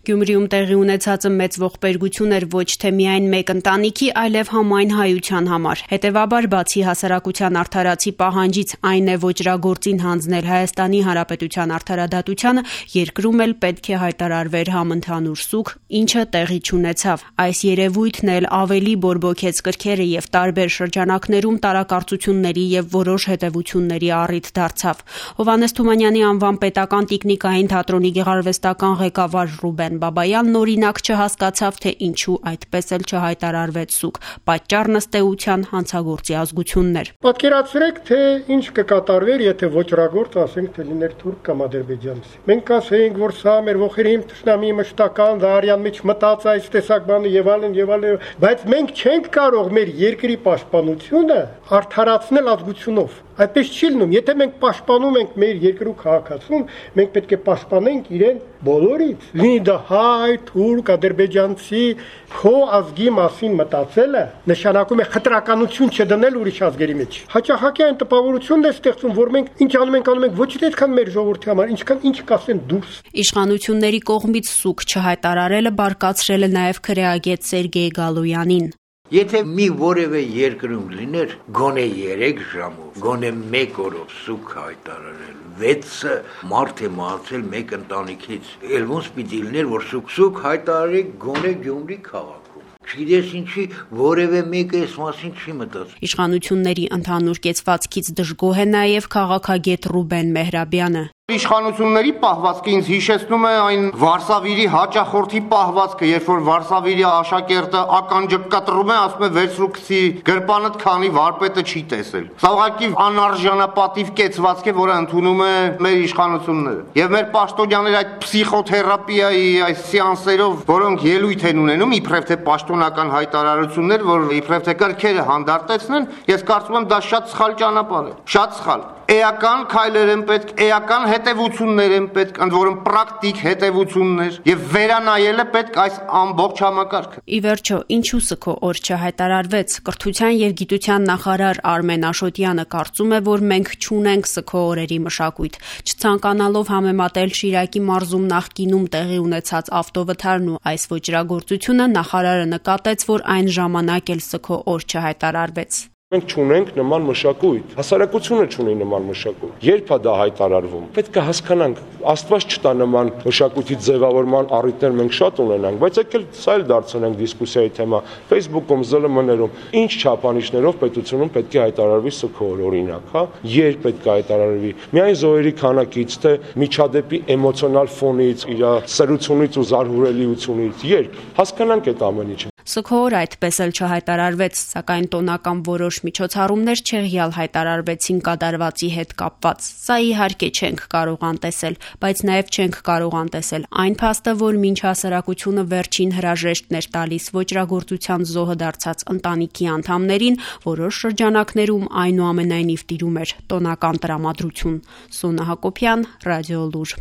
Գյումրիում տեղի ունեցածը մեծ ողբերգություն էր ոչ թե միայն մեկ ընտանիքի, այլև համայն հայության համար։ Հետևաբար, բացի հասարակության արդարացի պահանջից, այն է ոճրագործին հանձնել Հայաստանի Հանրապետության արդարադատությանը, երկրում էլ պետք է հայտարարվեր համընդհանուր սուգ, ինչը տեղի չունեցավ։ Այս երևույթն էլ ավելի բորբոքեց կրքերը եւ տարբեր շրջանակներում տարակարծությունների եւ որոշ հետևությունների առիթ դարձավ։ Հովհաննես Թումանյանի անվան պետական տիկնիկային թատրոնի գեղարվեստական ղեկավար Ռուբեն Բաբայանն օրինակ չհասկացավ, թե ինչու այդպես էլ չհայտարարվեց սուգ։ Պատճառն ըստ էության հանցագործի ազգությունն էր։ Պատկերացրեք, թե ինչ կկատարվեր, եթե ոճրագործ, ասենք, թե լիներ թուրք կամ ադրբեջանցի։ Մենք ասեինք, որ սա մեր ողերի թշնամի մշտական դարյան մեջ մտած այս տեսակ բանը եւ այլն, բայց մենք չենք կարող մեր երկրի պաշտպանությունը արդարացնել ազգությունով։ Այդպես չի լինում։ Եթե մենք պաշտպանում ենք մեր երկրի քաղաքացուն, մենք պետք է պաշտպանենք իրեն բոլորից։ Լինի դա հայ, թուրք, ադրբեջանցի, քո ազգի մասին մտածելը նշանակում է խտրականություն չդնել ուրիշ ազգերի մեջ։ Հաճախակի այն տպավորությունն է ստեղծում, որ մենք ինչ անում ենք ոչ թե այդքան մեր ժողովրդի համար, ինչքան ինչ կասեն դուրս։ Իշխանությունների կողմից սուգ չհայտարարելը բարկացրել է նաև քրեագետ Սերգեյ Գալոյանին։ Եթե մի որևէ երկրում լիներ գոնե 3 ժամով, գոնե 1 օրով սուգ հայտարարել, 6-ը մարդ է մահացել մեկ ընտանիքից, էլ ոնց պիտի լիներ, որ սուգ հայտարարի գոնե Գյումրի քաղաքում։ Չգիտես ինչի, որևէ մեկը այս մասին չի մտածում։ Իշխանությունների ընդհանուր կեցվածքից դժգոհ է նաև քաղաքագետ Ռուբեն Մեհրաբյանը։ Իշխանությունների պահվածքը ինձ հիշեցնում է այն Վարշավիրի հաճախորդի պահվածքը, երբ որ Վարշավիրի աշակերտը ականջը կտրում է, ասում է վերցրու գցի գրպանդ, քանի վարպետը չի տեսել։ Սա ուղղակի անարժանապատիվ կեցվածք է, որը ընդունում է մեր իշխանությունները։ Եվ մեր պաշտոնյաները այդ փսիխոթերապիայի այս սեանսերով, որոնք ելույթ են ունենում, իբրև թե պաշտոնական հայտարարություններ, որ իբրև թե կրքերը հանդարտեցնեն, ես կարծում եմ դա շատ սխալ ճանապարհ է, շատ սխալ։ Էական քայլեր են պետք, էական հետևություններ են պետք, ընդ որում պրակտիկ հետևություններ, եւ վերանայելը պետք այս ամբողջ համակարգը։ Ի վերջո, ինչու սգո օր չհայտարարվեց։ Կրթության եւ գիտության նախարար Արմեն Աշոտյանը կարծում է, որ մենք չունենք սգո օրերի մշակույթ, չցանկանալով համեմատել Շիրակի մարզում նախկինում տեղի ունեցած ավտովթարն ու այս ոճրագործությունը, նախարարը նկատեց, որ այն ժամանակ էլ սգո օր չհայտարարվեց։ Մենք չունենք նման մշակույթ, հասարակությունը չունի նման մշակույթ։ Երբ է դա հայտարարվում։ Պետք է հասկանանք, Աստված չտա նման մշակույթի ձևավորման առիթներ մենք շատ ունենանք, բայց եկել սա էլ դարձնենք դիսկուսիայի թեմա։ Facebook-ում, ԶԼՄ-ներում ինչ չափանիշներով պետությունում պետք է հայտարարվի սգո օր, օրինակ, հա։ Երբ պետք է հայտարարվի։ Միայն զոհերի քանակից, թե միջադեպի էմոցիոնալ ֆոնից, իր սրությունից ու զարհուրելիությունից, երբ հասկանանք այդ ամեն ինչը։ Սգո օր այդպես էլ չհայտարարվեց, սակայն տոնական որոշ միջոցառումներ չեղյալ հայտարարվեցին կատարվածի հետ կապված։ Սա իհարկե չենք կարող անտեսել, բայց նաև չենք կարող անտեսել այն փաստը, որ մինչ հասարակությունը վերջին հրաժեշտն էր տալիս ոճրագործության զոհը դարձած ընտանիքի անդամներին, որոշ շրջանակներում այնուամենայնիվ տիրում էր տոնական տրամադրություն։ Սոնա Հակոբյան, Ռադիոլուր։